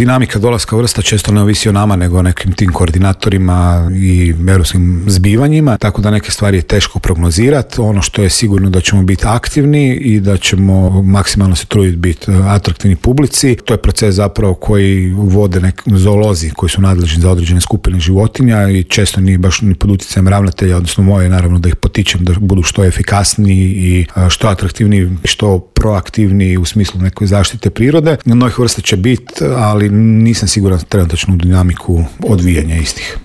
dinamika dolaska vrsta često ne ovisi o nama, nego o nekim tim koordinatorima i europskim zbivanjima, tako da neke stvari je teško prognozirati. Ono što je sigurno da ćemo biti aktivni i da ćemo maksimalno se truditi biti atraktivni publici. To je proces zapravo koji vode zoolozi koji su nadležni za određene skupine životinja i često nije baš ni pod utjecajem ravnatelja, odnosno moje naravno da ih potičem da budu što efikasniji i što atraktivniji, što proaktivniji u smislu neke zaštite prirode. Novih vrsta će biti, ali nisam siguran trenutačnu dinamiku odvijanja istih.